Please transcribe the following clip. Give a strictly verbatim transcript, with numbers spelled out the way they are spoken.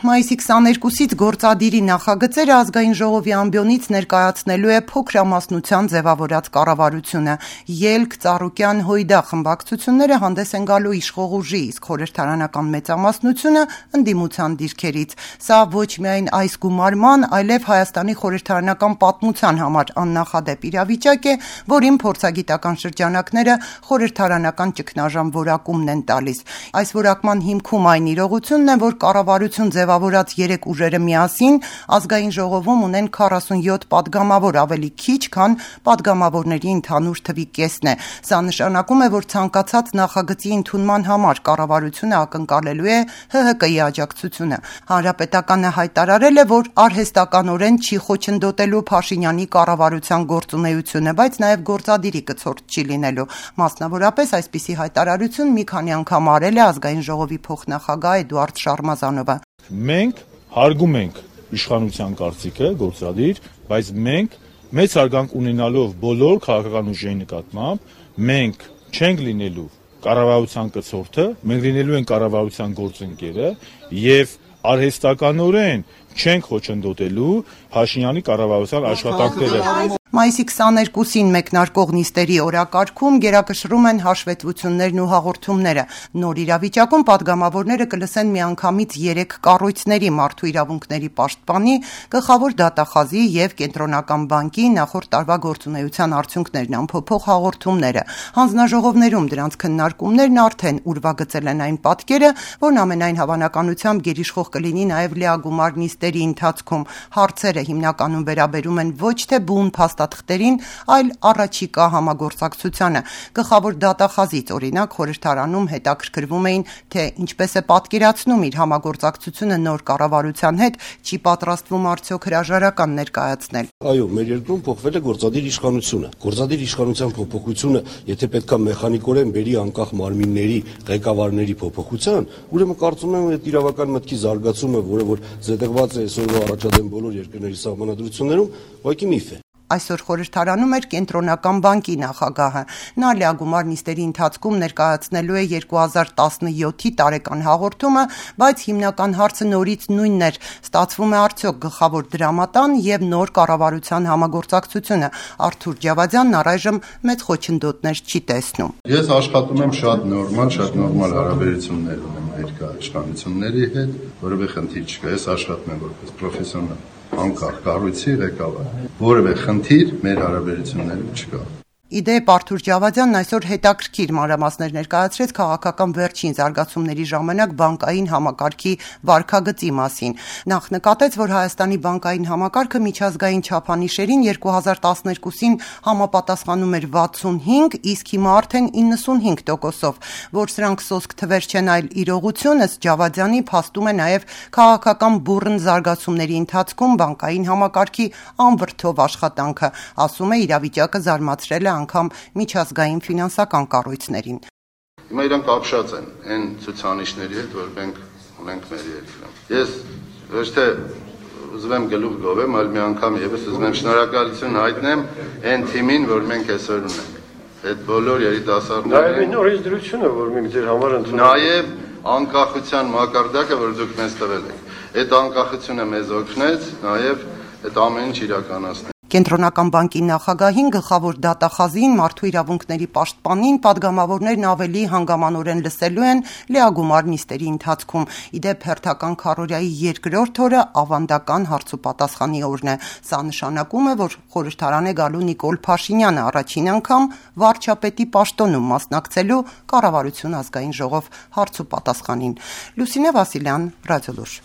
Մայիսի քսաներկուսից գործադիրի նախագծերը ազգային ժողովի ամբիոնից ներկայացնելու է փոքրամասնության ձևավորած կառավարությունը։ Ելք, Ծառուկյան, Հույդա խմբակցությունները հանդես են գալու իշխող ուժի, իսկ խորհրդարանական մեծամասնությունը ընդդիմության դիրքերից։ Սա ոչ միայն այս գումարման, այլև Հայաստանի խորհրդարանական պատմության համար աննախադեպ իրավիճակ է, որին փորձագիտական շրջանակները խորհրդարանական ճգնաժամ որակումն են տալիս։ Այս որակման հիմքում այն իրողությունն է, որ կառավարություն ձևավորած երեք ուժերը միասին ազգային ժողովում ունեն քառասունյոթ պատգամավոր, ավելի քիչ, քան պատգամավորների ընդհանուր թվի կեսն է։ Սա նշանակում է, որ ցանկացած նախագծի ընդունման համար կառավարությունը ակնկալելու է Հ Հ Կ-ի աջակցությունը։ Հանրապետականը հայտարարել է, որ արհեստականորեն չի խոչընդոտելու Փաշինյանի կառավարության գործունեությունը, բայց նաև գործադիրի կցորդ չի լինելու։ Մասնավորապես այսպիսի հայտարարություն մի քանի անգամ արել է ազգային ժողովի փոխնախագահ Էդուարդ Շարմազանովը։ Մենք հարգում ենք իշխանության կարծիքը, գործադիր, բայց մենք մեծ հարգանք ունենալով բոլոր քաղաքական ուժերի նկատմամբ, մենք չենք լինելու կառավարության կցորդը, մենք լինելու ենք կառավարության գործընկերը եւ արհեստականորեն չենք խոչընդոտելու Փաշինյանի կառավարության աշխատանքները։ Մայիսի քսաներկուսին մեկնարկող նիստերի օրակարգում գերակշռում են հաշվետվություններն ու հաղորդումները։ Նոր իրավիճակում պատգամավորները կլսեն միանգամից երեք կառույցների՝ Մարդու իրավունքների պաշտպանի, Գլխավոր դատախազի եւ Կենտրոնական բանկի նախորդ տարվա գործունեության արդյունքներն ամփոփող հաղորդումները։ Հանձնաժողովներում դրանց քննարկումներն արդեն ուրվագծել են այն պատկերը, որն ամենայն հավանականությամբ գերիշխող կլինի նաեւ լիագումար նիստերի ընթացքում։ Հարցերը հիմնականում վերաբերում են ոչ թե բուն փաստաթղթերին, այլ առաջիկա համագործակցությանը։ Գլխավոր դատախազից, օրինակ, խորհրդարանում հետաքրքրվում էին, թե ինչպես է պատկերացնում իր համագործակցությունը նոր կառավարության հետ, չի պատրաստվում արդյոք հրաժարական ներկայացնել։ Այո, մեր երկրում փոխվել է գործադիր իշխանությունը։ Գործադիր իշխանության փոփոխությունը, եթե պետքա մեխանիկորեն բերի անկախ մարմինների ղեկավարների փոփոխության, ուրեմն կարծում եմ այդ իրավական մտքի զարգացումը, որը որ զետեղված է այսօրվա առաջադեմ բոլոր երկրների սահմանադրություններում, ուղղակի միֆ է։ Այսօր խորհրդարանում էր Կենտրոնական բանկի նախագահը։ Նա լիագումար նիստերի ընթացքում ներկայացնելու է երկու հազար տասնյոթի տարեկան հաղորդումը, բայց հիմնական հարցը նորից նույնն էր. ստացվում է արդյոք գլխավոր դրամատան եւ նոր կառավարության համագործակցությունը։ Արթուր Ջավադյանն առայժմ մեծ խոչընդոտներ չի տեսնում։ Ես աշխատում եմ շատ նորմալ, շատ նորմալ հարաբերություններ ունեմ ներկայացնությունների հետ, որովհետեւ խնդիր չկա։ Ես աշխատում եմ որպես պրոֆեսիոնալ անկախ կառույցի ղեկավար, որևէ խնդիր մեր հարաբերություններում չկա։ Իդեպ Արթուր Ջավադյանն այսօր հետաքրքիր մանրամասներ ներկայացրեց քաղաքական վերջին զարգացումների ժամանակ բանկային համակարգի վարքագծի մասին։ Նախ նկատեց, որ Հայաստանի բանկային համակարգը միջազգային չափանիշերին երկու հազար տասներկուսին համապատասխանում էր վաթսունհինգ, իսկ հիմա արդեն իննսունհինգ տոկոսով, որ սրանք սոսկ թվեր չեն, այլ իրողություն, ըստ Ջավադյանի, փաստում է նաև քաղաքական բուռն զարգացումների ընթացքում բանկային համակարգի անվրդով աշխատանքը, ասում է իրավիճակը զարմացրել է անգամ միջազգային ֆինանսական կառույցներին։ Հիմա իրանք ապշած են այն ցուցանիշների հետ, որ մենք ունենք մեր երկրում։ Ես ոչ թե ուզում եմ գլուխ գովեմ, այլ մի անգամ եւս ուզում եմ շնորհակալություն հայտնեմ այն թիմին, որ մենք այսօր ունենք։ Այդ բոլոր երիտասարդներին։ Նաեւ այն օրենսդրությունը, որ մենք ձեր համար ընդունել ենք։ Նաեւ անկախության մակարդակը, որ դուք մեզ տվել եք։ Այդ անկախությունը մեզ օգնեց նաեւ այդ ամեն ինչ իրականացնել։ Կենտրոնական բանկի նախագահին, գլխավոր դատախազին, Մարդու իրավունքների պաշտպանին պատգամավորներն ավելի հանգամանորեն լսելու են լիագումար նիստերի ընթացքում։ Իդեպ հերթական քառորյայի երկրորդ օրը ավանդական հարցուպատասխանի օրն է։ Սա նշանակում է, որ խորհրդարան է գալու Նիկոլ Փաշինյանը առաջին անգամ վարչապետի պաշտոնում մասնակցելու կառավարություն ազգային ժողով հարցուպատասխանին։ Լուսինե Վասիլյան, Ռադիոլուր։